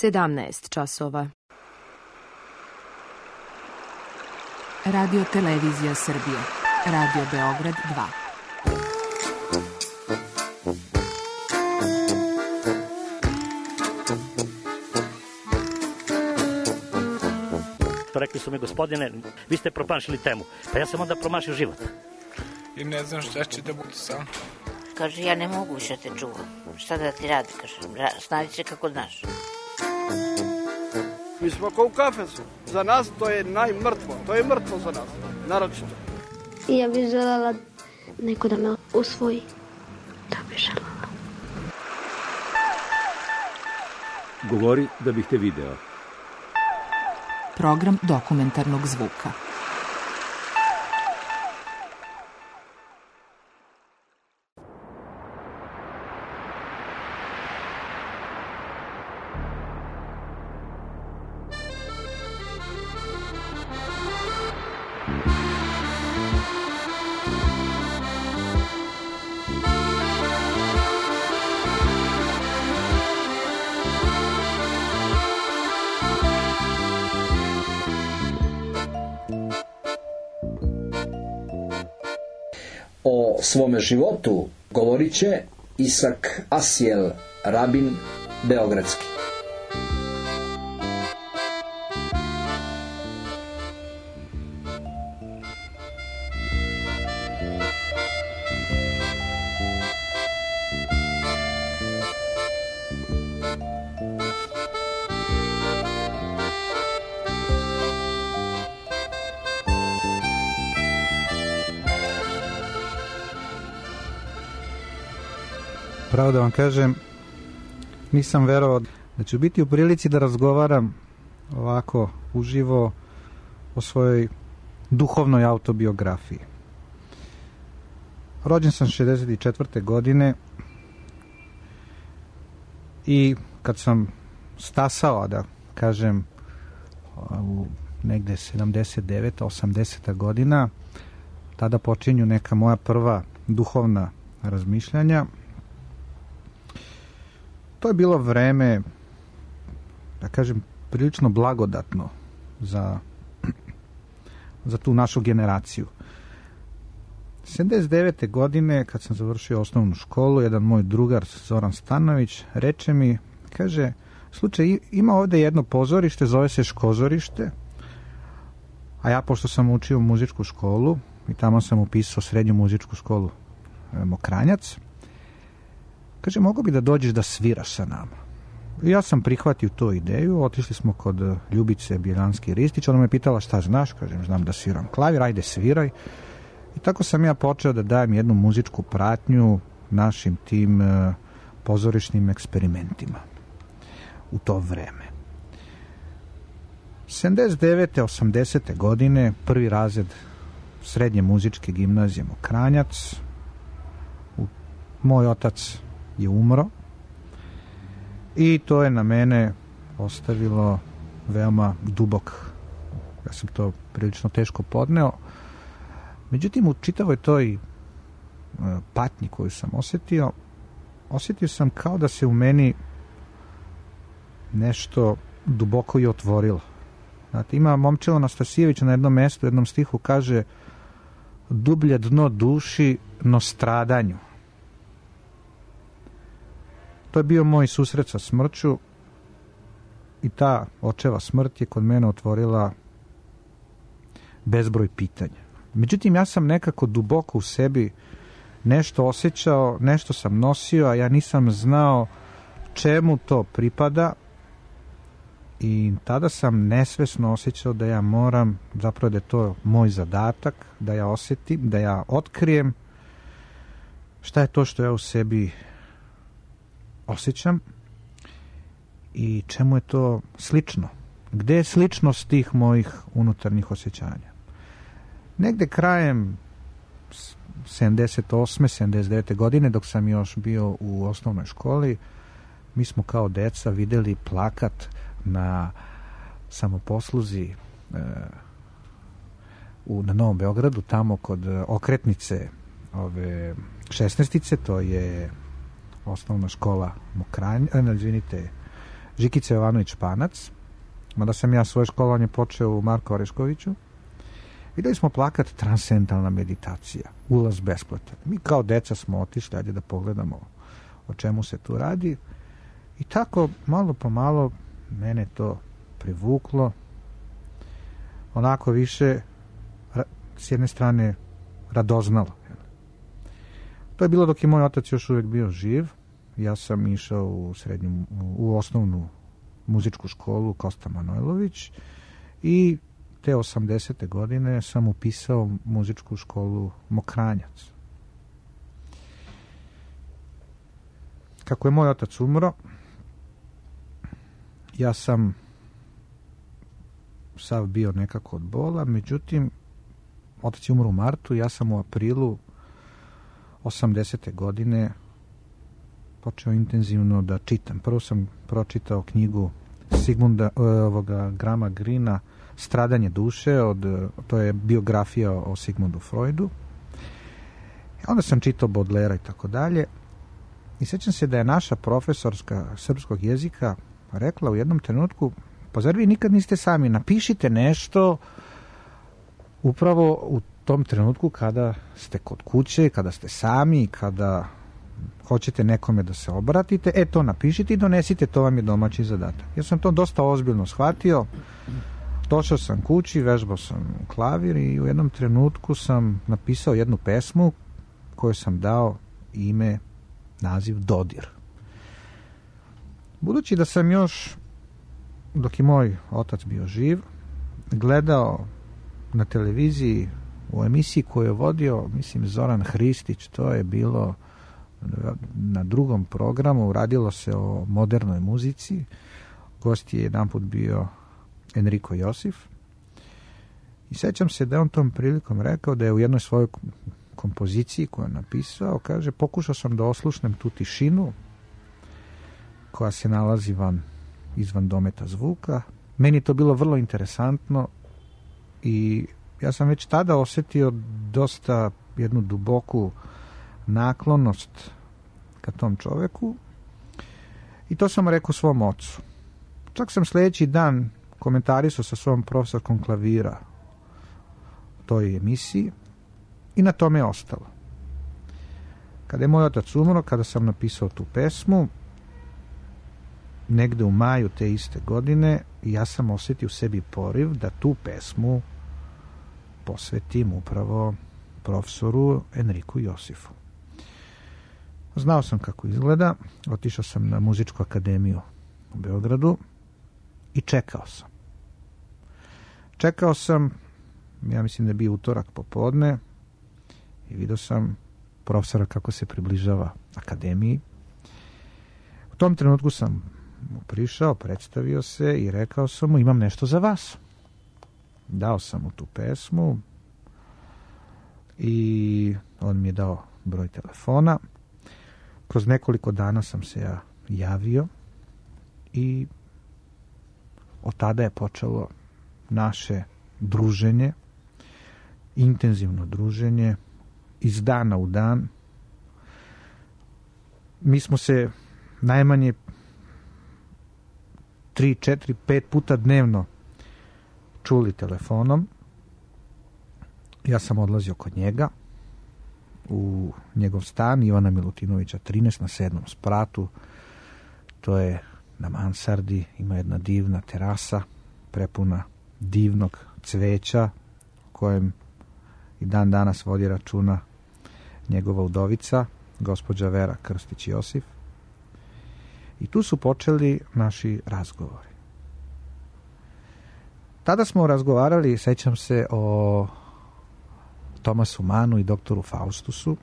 17 časova. Radio Televizija Srbije. Radio Beograd 2. Rekli su mi, gospodine, vi ste promašili temu. Pa ja sam onda promašio život. I ne znam šta će da bude sam. Kaže, ja ne mogu više te čuvam. Šta da ti radi, kaže, snađi se kako znaš. Mi smo kao u kafesu. Za nas to je najmrtvo. To je mrtvo za nas, naročito. I ja bih želela neko da me usvoji. Da bih želela. Govori da bih te video. Program dokumentarnog zvuka. O svome životu govorit će Isak Asjel Rabin Beogradski. Pravo da vam kažem, nisam verovao da ću biti u prilici da razgovaram ovako uživo o svojoj duhovnoj autobiografiji. Rođen sam 64. godine i kad sam stasao, da kažem, u negde 79. 80. godina, tada počinju neka moja prva duhovna razmišljanja. To je bilo vreme, da kažem, prilično blagodatno za tu našu generaciju. 79. godine, kad sam završio osnovnu školu, jedan moj drugar, Zoran Stanović, reče mi, kaže, slučaj, ima ovde jedno pozorište, zove se Škozorište, a ja, pošto sam učio muzičku školu, i tamo sam upisao srednju muzičku školu Mokranjac, kaže, mogu bi da dođeš da sviraš sa nama. I ja sam prihvatio tu ideju, otišli smo kod Ljubice Bjeljanski-Ristić, ona me pitala šta znaš, kažem, znam da sviram klavir, ajde sviraj. I tako sam ja počeo da dajem jednu muzičku pratnju našim tim pozorišnim eksperimentima u to vreme. 79. 80. godine, prvi razred srednje muzičke gimnazije Mokranjac, moj otac je umro i to je na mene ostavilo veoma dubok, ja sam to prilično teško podneo. Međutim, u čitavoj toj patnji koju sam osetio sam kao da se u meni nešto duboko i otvorilo. Znate, ima Momčilo Anastasijević na jednom mestu, u jednom stihu kaže, dublje dno duši, no stradanju. To je bio moj susret sa smrću i ta očeva smrt je kod mene otvorila bezbroj pitanja. Međutim, ja sam nekako duboko u sebi nešto osjećao, nešto sam nosio, a ja nisam znao čemu to pripada i tada sam nesvesno osjećao da ja moram, zapravo da je to moj zadatak, da ja osjetim, da ja otkrijem šta je to što ja u sebi osjećam i čemu je to slično. Gde je sličnost tih mojih unutarnjih osjećanja? Negde krajem 78. 79. godine, dok sam još bio u osnovnoj školi, mi smo kao deca videli plakat na samoposluzi na Novom Beogradu, tamo kod okretnice ove 16. to je osnovna škola Žikica Jovanović Španac, mada sam ja svoje školovanje počeo u Marku Oreškoviću. Videli smo plakat Transcendentalna meditacija, ulaz besplatan. Mi kao deca smo otišli, ajde da pogledamo o čemu se tu radi. I tako, malo po malo, mene to privuklo. Onako više, s jedne strane, radoznalo. To je bilo dok je moj otac još uvijek bio živ. Ja sam išao u osnovnu muzičku školu Kosta Manojlović i te 80. godine sam upisao muzičku školu Mokranjac. Kako je moj otac umro, ja sam sav bio nekako od bola, međutim, otac je umro u martu, ja sam u aprilu 80. godine počeo intenzivno da čitam. Prvo sam pročitao knjigu Grahama Greena Stradanje duše, to je biografija o Sigmundu Freudu. Onda sam čitao Baudelaire i tako dalje. I sjećam se da je naša profesorska srpskog jezika rekla u jednom trenutku, pa zar vi nikad niste sami, napišite nešto upravo u tom trenutku kada ste kod kuće, kada ste sami, kada hoćete nekome da se obratite, to napišite i donesite, to vam je domaći zadatak. Ja sam to dosta ozbiljno shvatio, došao sam kući, vežbao sam klavir i u jednom trenutku sam napisao jednu pesmu koju sam dao ime, naziv Dodir. Budući da sam još, dok je moj otac bio živ, gledao na televiziji u emisiji koju je vodio, mislim, Zoran Hristić, to je bilo na drugom programu, radilo se o modernoj muzici. Gost je jedanput bio Enrico Josif. I sećam se da je on tom prilikom rekao da je u jednoj svojoj kompoziciji koju je napisao, kaže, pokušao sam da oslušnem tu tišinu koja se nalazi izvan dometa zvuka. Meni je to bilo vrlo interesantno i ja sam već tada osjetio dosta jednu duboku naklonost ka tom čoveku i to sam rekao svom ocu. Čak sam sljedeći dan komentarisao sa svom profesorkom klavira u toj emisiji i na tome je ostalo. Kada je moj otac umro, kada sam napisao tu pesmu, negde u maju te iste godine, ja sam osjetio u sebi poriv da tu pesmu posvetim upravo profesoru Enriku Josifu. Znao sam kako izgleda, otišao sam na muzičku akademiju u Beogradu i čekao sam. Čekao sam, ja mislim da je bio utorak popodne i vidio sam profesora kako se približava akademiji. U tom trenutku sam mu prišao, predstavio se i rekao sam mu, imam nešto za vas. Dao sam mu tu pesmu i on mi je dao broj telefona. Kroz nekoliko dana sam se ja javio i od tada je počelo naše druženje, intenzivno druženje, iz dana u dan. Mi smo se najmanje 3, 4, 5 puta dnevno čuli telefonom. Ja sam odlazio kod njega u njegov stan Ivana Milutinovića 13 na 7. spratu. To je na mansardi, ima jedna divna terasa prepuna divnog cveća kojem i dan danas vodi računa njegova udovica, gospođa Vera Krstić-Josif. I tu su počeli naši razgovori. Tada smo razgovarali, sećam se, o Tomasu Manu i doktoru Faustusu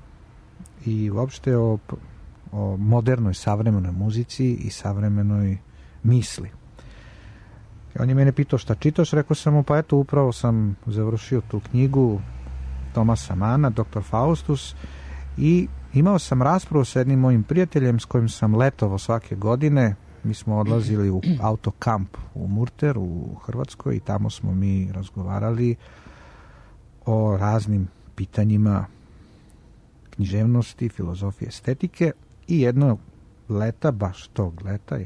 i uopšte o modernoj savremenoj muzici i savremenoj misli. I on je mene pitao šta čitaš, rekao sam mu, pa eto, upravo sam završio tu knjigu Tomasa Mana, doktor Faustus, i imao sam raspravu sa jednim mojim prijateljem s kojim sam letovao svake godine. Mi smo odlazili u autokamp u Murter u Hrvatskoj i tamo smo mi razgovarali o raznim pitanjima književnosti, filozofije, estetike i jednog leta, baš tog leta,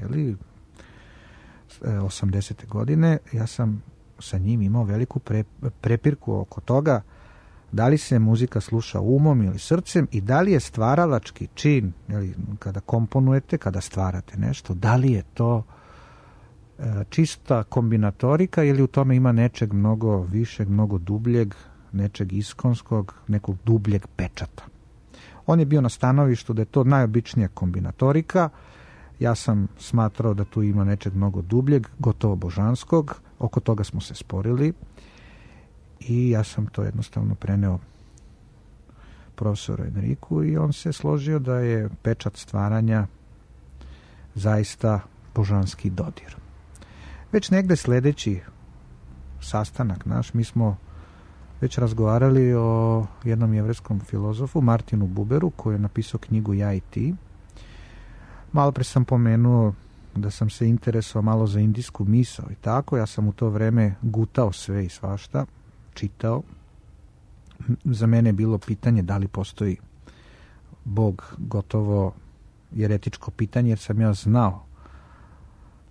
80. godine, ja sam sa njim imao veliku prepirku oko toga da li se muzika sluša umom ili srcem i da li je stvaralački čin, kada komponujete, kada stvarate nešto, da li je to čista kombinatorika ili u tome ima nečeg mnogo višeg, mnogo dubljeg, nečeg iskonskog, nekog dubljeg pečata. On je bio na stanovištu da je to najobičnija kombinatorika. Ja sam smatrao da tu ima nečeg mnogo dubljeg, gotovo božanskog. Oko toga smo se sporili i ja sam to jednostavno preneo profesoru Enriku i on se složio da je pečat stvaranja zaista božanski dodir. Već negde sledeći sastanak naš, mi smo već razgovarali o jednom jevrejskom filozofu, Martinu Buberu, koji je napisao knjigu Ja i ti. Malo pre sam pomenuo da sam se interesovao malo za indijsku misao i tako. Ja sam u to vreme gutao sve i svašta, čitao. Za mene je bilo pitanje da li postoji Bog, gotovo jeretičko pitanje, jer sam ja znao,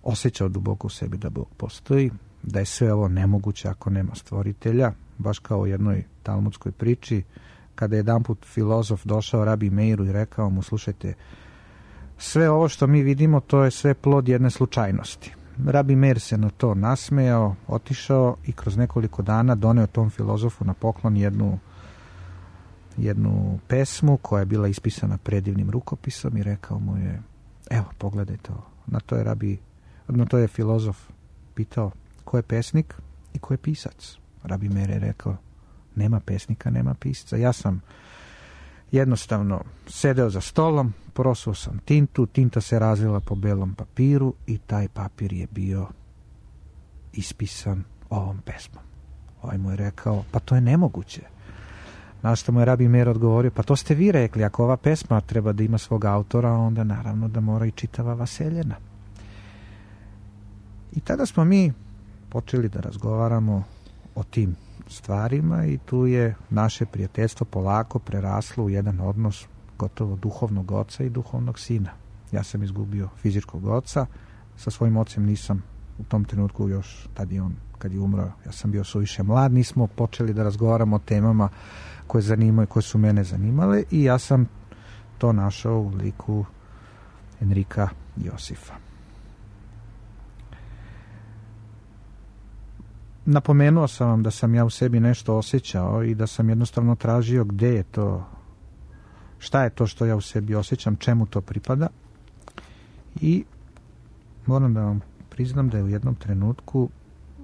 osjećao duboko u sebi da Bog postoji, da je sve ovo nemoguće ako nema stvoritelja, baš kao u jednoj talmudskoj priči, kada je jedanput filozof došao Rabi Meiru i rekao mu, slušajte, sve ovo što mi vidimo, to je sve plod jedne slučajnosti. Rabi Meir se na to nasmejao, otišao i kroz nekoliko dana doneo tom filozofu na poklon jednu pesmu koja je bila ispisana predivnim rukopisom i rekao mu je, evo, pogledaj to. Na to je filozof pitao, ko je pesnik i ko je pisac? Rabi Meir je rekao, nema pesnika, nema pisca. Ja sam jednostavno sedeo za stolom, prosuo sam tintu, tinta se razvila po belom papiru i taj papir je bio ispisan ovom pesmom. Ovaj mu je rekao, pa to je nemoguće. Na što mu je Rabi Meir odgovorio, pa to ste vi rekli, ako ova pesma treba da ima svog autora, onda naravno da mora i čitava vaseljena. I tada smo mi počeli da razgovaramo o tim stvarima i tu je naše prijateljstvo polako preraslo u jedan odnos gotovo duhovnog oca i duhovnog sina. Ja sam izgubio fizičkog oca, sa svojim ocem nisam u tom trenutku još, tad je on, kad je umro, ja sam bio suviše mlad, nismo počeli da razgovaramo o temama koje zanimaju, koje su mene zanimale i ja sam to našao u liku Enrika Josifa. Napomenuo sam vam da sam ja u sebi nešto osjećao i da sam jednostavno tražio gde je to, šta je to što ja u sebi osjećam, čemu to pripada. I moram da vam priznam da je u jednom trenutku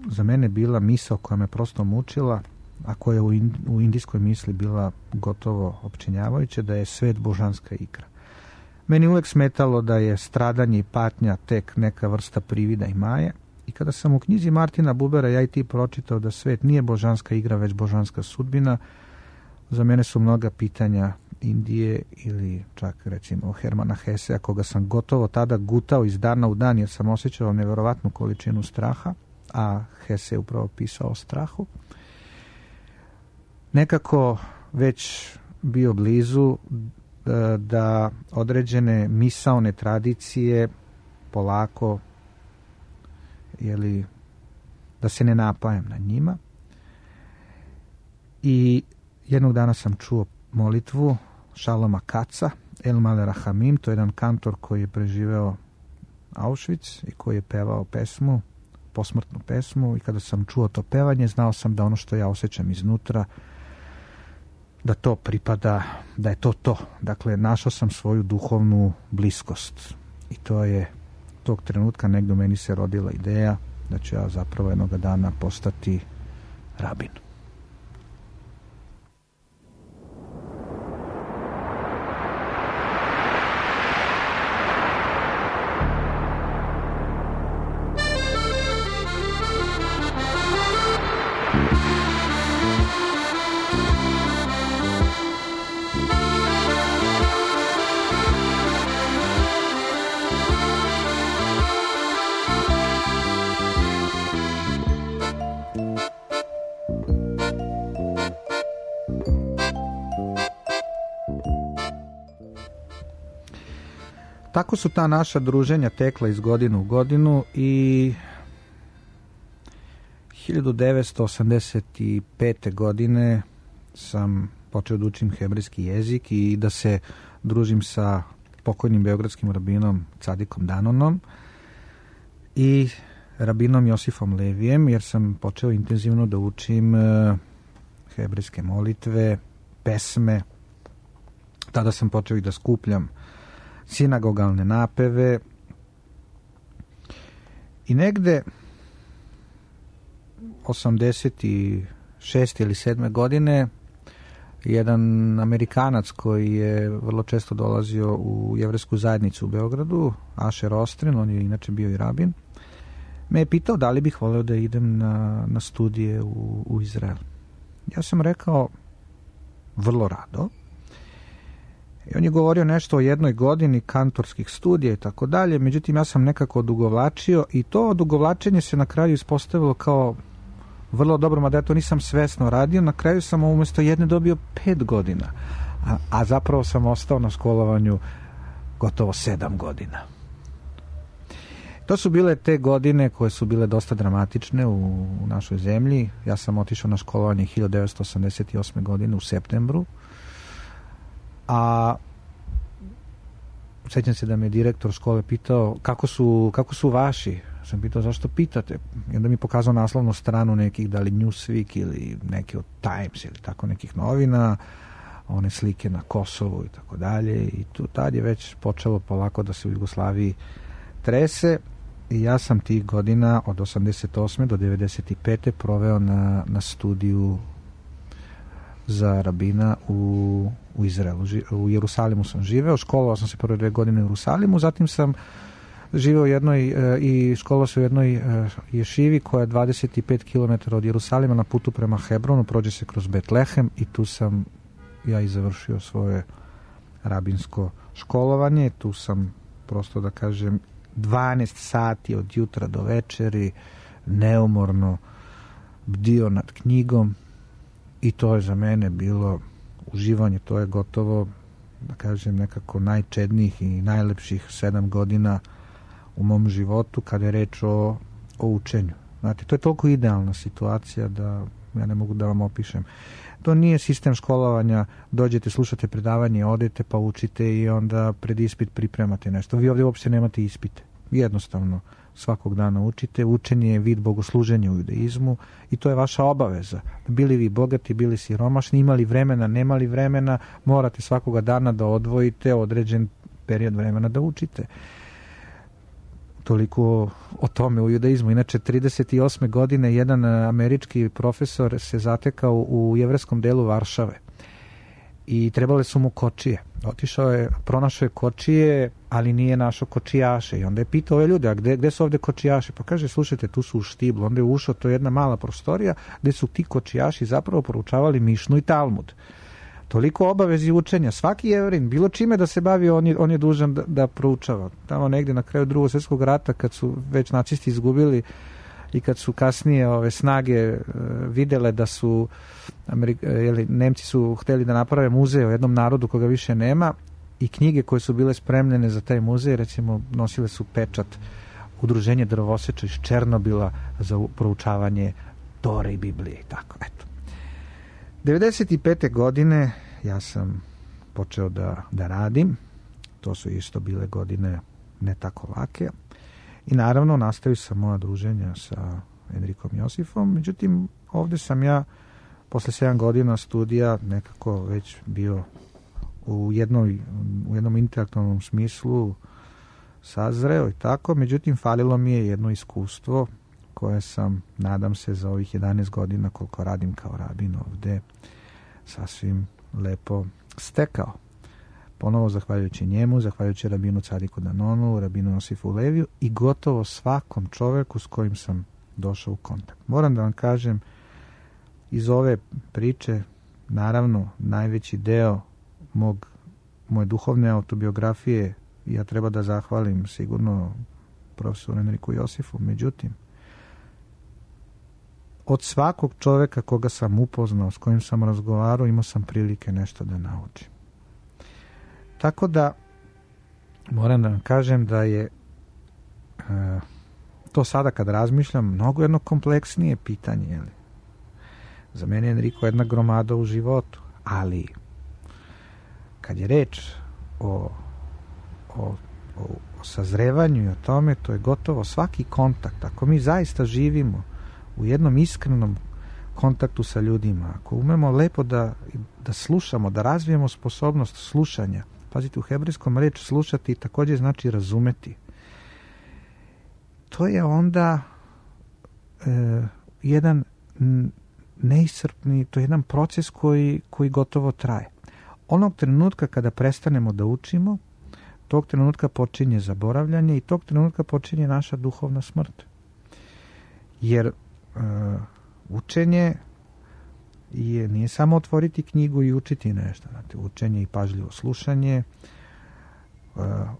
za mene bila misao koja me prosto mučila, a koja je u indijskoj misli bila gotovo opčinjavajuća, da je svet božanska igra. Meni uvek smetalo da je stradanje i patnja tek neka vrsta privida i maje. I kada sam u knjizi Martina Bubera Ja i ti pročitao da svet nije božanska igra, već božanska sudbina, za mene su mnoga pitanja Indije ili čak recimo Hermana Hesea, koga sam gotovo tada gutao iz dana u dan jer sam osjećao neverovatnu količinu straha, a Hese je upravo pisao o strahu. Nekako već bio blizu da određene misaone tradicije polako da se ne napajam na njima. I jednog dana sam čuo molitvu Šaloma Kaca, El Male Rahamim, to je jedan kantor koji je preživeo Auschwitz i koji je pevao pesmu, posmrtnu pesmu, i kada sam čuo to pevanje, znao sam da ono što ja osjećam iznutra, da to pripada, da je to to. Dakle, našao sam svoju duhovnu bliskost i to je tog trenutka negdje u meni se rodila ideja da ću ja zapravo jednog dana postati rabin. Tako su ta naša druženja tekla iz godinu u godinu i 1985. godine sam počeo da učim hebrejski jezik i da se družim sa pokojnim beogradskim rabinom Cadikom Danonom i rabinom Josifom Levijem, jer sam počeo intenzivno da učim hebrejske molitve, pesme. Tada sam počeo i da skupljam sinagogalne napeve i negde 86. ili 7. godine jedan Amerikanac koji je vrlo često dolazio u jevrejsku zajednicu u Beogradu, Asher Ostrin, on je inače bio i rabin, me je pitao da li bih voleo da idem na studije u Izrael. Ja sam rekao vrlo rado. I on je govorio nešto o 1 godini kantorskih studija i tako dalje, međutim ja sam nekako odugovlačio i to odugovlačenje se na kraju ispostavilo kao vrlo dobro, mada ja to nisam svesno radio. Na kraju sam umjesto 1 dobio 5 godina, a zapravo sam ostao na školovanju gotovo 7 godina. To su bile te godine koje su bile dosta dramatične u našoj zemlji. Ja sam otišao na školovanje 1988. godine u septembru, a sećam se da me direktor škole pitao kako su vaši. Sam pitao zašto pitate, i onda mi pokazao naslovnu stranu nekih, da li Newsweek ili neki od Times ili tako nekih novina, one slike na Kosovu i tako dalje, i tad je već počelo polako da se u Jugoslaviji trese. I ja sam tih godina od 88. do 95. proveo na studiju za rabina u Izraelu. U Jerusalimu sam živeo, školovao sam se prve 2 godine u Jerusalimu, zatim sam živeo u jednoj i školovao se u jednoj ješivi koja je 25 km od Jerusalima na putu prema Hebronu, prođe se kroz Betlehem i tu sam ja i završio svoje rabinsko školovanje. Tu sam, prosto da kažem, 12 sati od jutra do večeri neumorno bdio nad knjigom i to je za mene bilo uživanje. To je gotovo, da kažem, nekako najčednijih i najlepših 7 godina u mom životu kada je reč o učenju. Znate, to je toliko idealna situacija da ja ne mogu da vam opišem. To nije sistem školovanja, dođete, slušate predavanje, odete pa učite i onda pred ispit pripremate nešto. Vi ovdje uopšte nemate ispite. Jednostavno svakog dana učite. Učenje je vid bogosluženja u judaizmu i to je vaša obaveza. Bili vi bogati, bili siromašni, imali vremena, nemali vremena, morate svakoga dana da odvojite određen period vremena da učite. Toliko o tome u judaizmu. Inače, 38. godine jedan američki profesor se zatekao u jevrejskom delu Varšave i trebale su mu kočije. Otišao je, pronašao je kočije, ali nije našao kočijaše i onda je pitao ove ljude, a gde su ovde kočijaši? Pa kaže, slušajte, tu su u štiblu. Onda je ušao, to je jedna mala prostorija gde su ti kočijaši zapravo proučavali Mišnu i Talmud. Toliko obavezi učenja. Svaki Jevrin, bilo čime da se bavi, on je dužan da proučava. Tamo negdje na kraju Drugog svjetskog rata, kad su već nacisti izgubili i kad su kasnije ove snage videle da su Nemci su hteli da naprave muzej o jednom narodu koga više nema i knjige koje su bile spremljene za taj muzej, recimo nosile su pečat Udruženje drvoseča iz Černobila za proučavanje Tore i Biblije i tako, eto. 95. godine ja sam počeo da radim. To su isto bile godine ne tako lake. I naravno nastavio sam moja druženja sa Enrikom Josifom. Međutim, ovdje sam ja posle 7 godina studija nekako već bio u jednom intelektualnom smislu sazreo i tako. Međutim, falilo mi je jedno iskustvo koje sam, nadam se, za ovih 11 godina koliko radim kao rabin ovde sasvim lepo stekao. Ponovo zahvaljujući njemu, zahvaljujući rabinu Cadiku Danonu, rabinu Josifu Leviju i gotovo svakom čoveku s kojim sam došao u kontakt. Moram da vam kažem, iz ove priče, naravno, najveći deo moje duhovne autobiografije ja treba da zahvalim sigurno profesoru Enriku Josifu. Međutim, od svakog čoveka koga sam upoznao, s kojim sam razgovarao, imao sam prilike nešto da naučim. Tako da moram da vam kažem da je to sada kad razmišljam, mnogo jedno kompleksnije pitanje. Jeli? Za mene je Enrico jedna gromada u životu, ali kad je reč o sazrevanju i o tome, to je gotovo svaki kontakt. Ako mi zaista živimo u jednom iskrenom kontaktu sa ljudima, ako umemo lepo da slušamo, da razvijemo sposobnost slušanja. Pazite, u hebrejskom reč slušati također znači razumeti. To je onda jedan neiscrpni, to je jedan proces koji gotovo traje. Onog trenutka kada prestanemo da učimo, tog trenutka počinje zaboravljanje i tog trenutka počinje naša duhovna smrt. Jer učenje nije samo otvoriti knjigu i učiti nešto. Znate, učenje i pažljivo slušanje,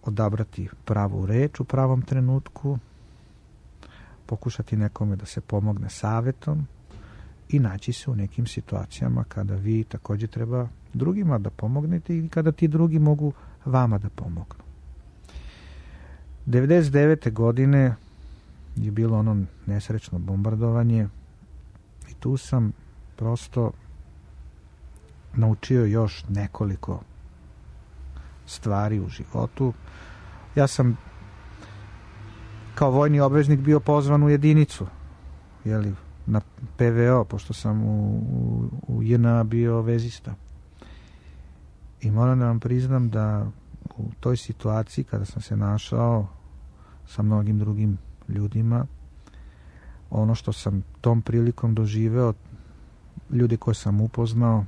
odabrati pravu reč u pravom trenutku, pokušati nekome da se pomogne savjetom i naći se u nekim situacijama kada vi također treba drugima da pomognete i kada ti drugi mogu vama da pomognu. 99. godine je bilo ono nesrećno bombardovanje i tu sam prosto naučio još nekoliko stvari u životu. Ja sam kao vojni obveznik bio pozvan u jedinicu, jeli, na PVO, pošto sam u JNA bio vezista. I moram da vam priznam da u toj situaciji kada sam se našao sa mnogim drugim ljudima, ono što sam tom prilikom doživeo, ljudi koje sam upoznao,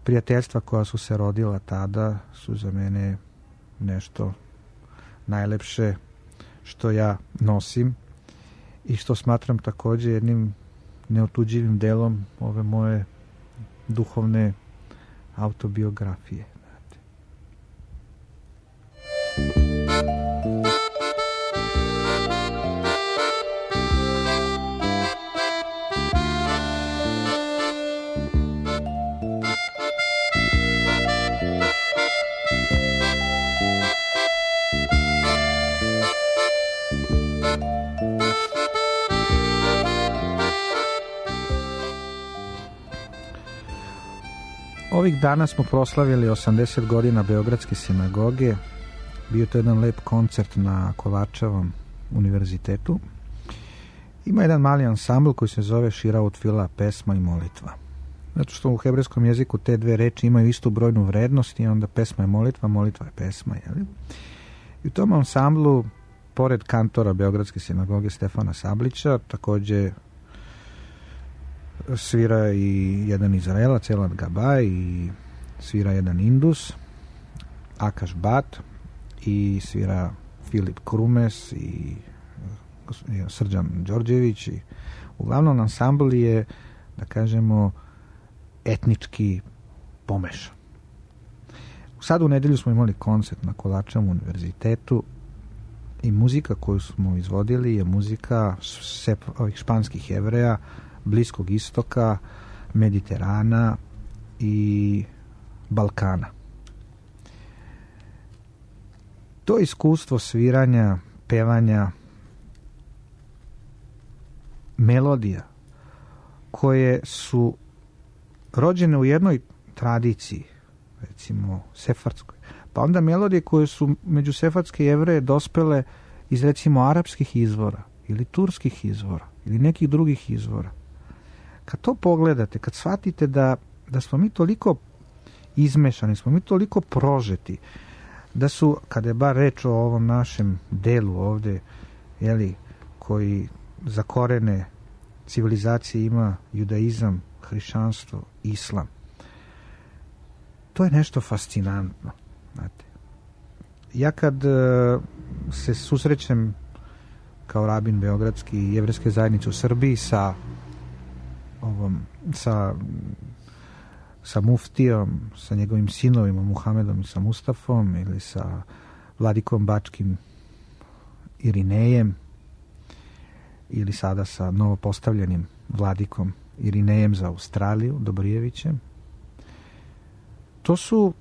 prijateljstva koja su se rodila tada su za mene nešto najlepše što ja nosim i što smatram također jednim neotuđivim delom ove moje duhovne autobiografije. Ovih dana smo proslavili 80 godina Beogradske sinagoge. Bio to jedan lep koncert na Kovačevom univerzitetu. Ima jedan mali ansambl koji se zove Širaut Fila, pesma i molitva. Zato što u hebrejskom jeziku te dve reči imaju istu brojnu vrednost i onda pesma je molitva, molitva je pesma. Jeli? I u tom ansamblu, pored kantora Beogradske sinagoge Stefana Sablića, također svira i jedan Izraelac, Elad Gabaj, i svira jedan Indus, Akaš Bat, i svira Filip Krumes i Srđan Đorđević. I uglavnom ansambl je, da kažemo, etnički pomešan. Sad u nedelju smo imali koncert na Kovačevom univerzitetu i muzika koju smo izvodili je muzika ovih španskih Jevreja, Bliskog istoka, Mediterana i Balkana. To iskustvo sviranja, pevanja, melodija koje su rođene u jednoj tradiciji, recimo sefardskoj, pa onda melodije koje su među sefardske Jevreje dospele iz recimo arapskih izvora ili turskih izvora ili nekih drugih izvora. Kad to pogledate, kad shvatite da smo mi toliko izmešani, smo mi toliko prožeti, da su, kada je bar reč o ovom našem delu ovde, jeli, koji za korene civilizacije ima judaizam, hrišćanstvo, islam, to je nešto fascinantno. Znate. Ja kad se susrećem kao rabin beogradski i jevrejske zajednice u Srbiji sa muftijom, sa njegovim sinovima Muhamedom i sa Mustafom, ili sa vladikom bačkim Irinejem, ili sada sa novopostavljenim vladikom Irinejem za Australiju, Dobrijevićem. To su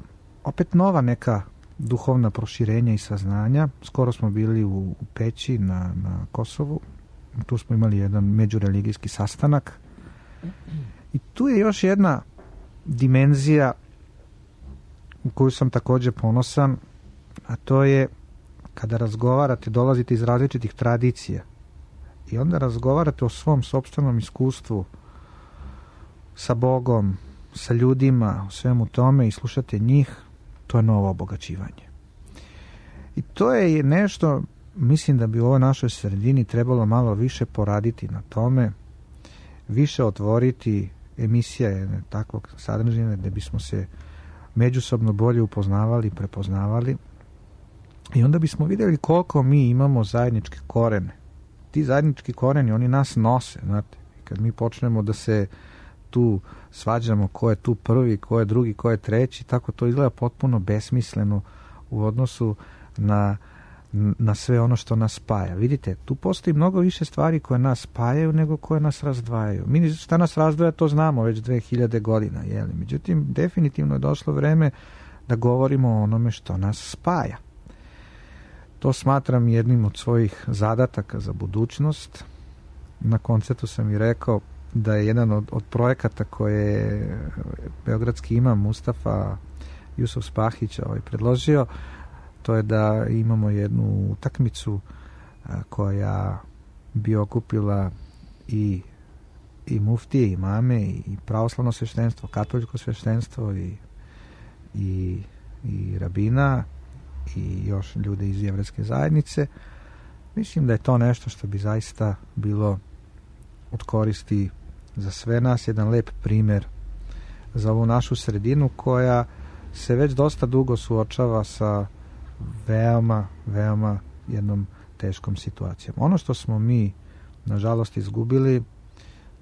opet nova neka duhovna proširenja i saznanja. Skoro smo bili u Peći na Kosovu. Tu smo imali jedan međureligijski sastanak. I tu je još jedna dimenzija u koju sam također ponosan, a to je kada razgovarate, dolazite iz različitih tradicija i onda razgovarate o svom sopstvenom iskustvu sa Bogom, sa ljudima, o svemu tome i slušate njih, to je novo obogaćivanje. I to je nešto, mislim da bi u ovoj našoj sredini trebalo malo više poraditi na tome, više otvoriti emisije takvog sadržine gdje bismo se međusobno bolje upoznavali, prepoznavali i onda bismo vidjeli koliko mi imamo zajedničke korene. Ti zajednički koreni, oni nas nose, znate. I kad mi počnemo da se tu svađamo ko je tu prvi, ko je drugi, ko je treći, tako to izgleda potpuno besmisleno u odnosu na sve ono što nas spaja. Vidite, tu postoji mnogo više stvari koje nas spajaju nego koje nas razdvajaju. Mi šta nas razdvaja, to znamo već 2000 godina. Jeli? Međutim, definitivno je došlo vreme da govorimo o onome što nas spaja. To smatram jednim od svojih zadataka za budućnost. Na koncertu sam i rekao da je jedan od projekata koje je beogradski imam Mustafa Jusuf Spahić predložio, to je da imamo jednu utakmicu koja bi okupila i muftije, i imame, i pravoslavno sveštenstvo, katoliko sveštenstvo i rabina i još ljude iz jevrejske zajednice. Mislim da je to nešto što bi zaista bilo od koristi za sve nas, jedan lep primjer za ovu našu sredinu koja se već dosta dugo suočava sa veoma, veoma jednom teškom situacijom. Ono što smo mi nažalost izgubili,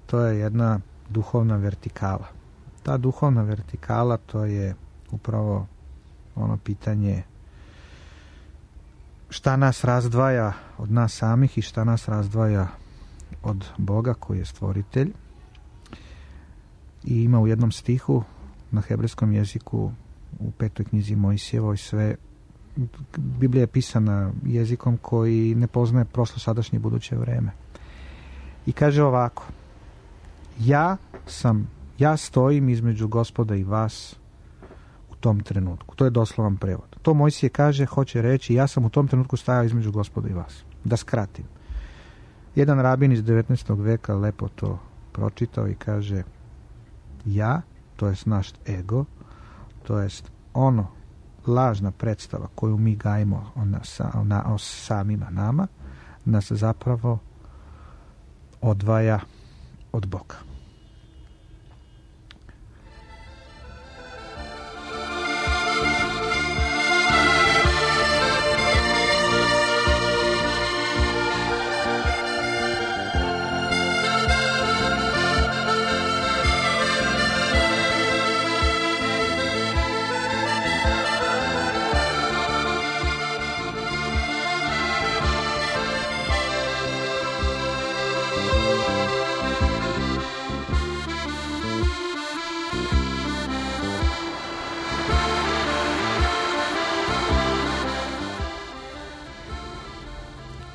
to je jedna duhovna vertikala. Ta duhovna vertikala, to je upravo ono pitanje šta nas razdvaja od nas samih i šta nas razdvaja od Boga koji je stvoritelj. I ima u jednom stihu na hebrejskom jeziku u 5. knjizi Mojsijevoj sve. Biblija je pisana jezikom koji ne poznaje prošlo, sadašnje i buduće vreme. I kaže ovako: ja stojim između Gospoda i vas u tom trenutku. To je doslovan prevod. To Mojsije kaže, hoće reći, ja sam u tom trenutku stajao između Gospoda i vas. Da skratim. Jedan rabin iz 19. veka lepo to pročitao i kaže: ja, to jest naš ego, to jest ono lažna predstava koju mi gajimo o samima nama, nas zapravo odvaja od Boga.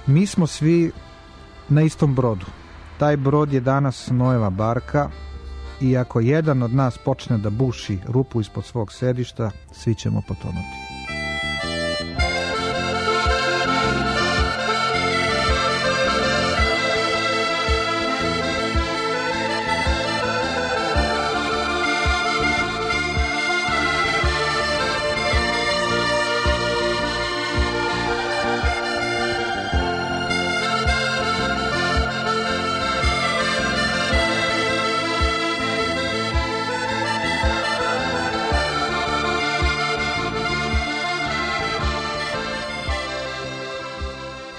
Mi smo svi na istom brodu. Taj brod je danas Noeva barka i ako jedan od nas počne da buši rupu ispod svog sedišta, svi ćemo potonuti.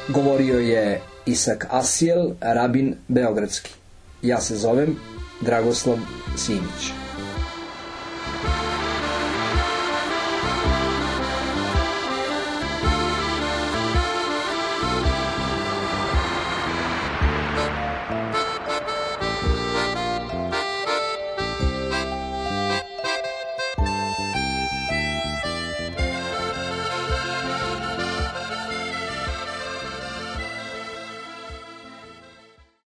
Govorio je Isak Asijel, rabin beogradski. Ja se zovem Dragoslav Simić.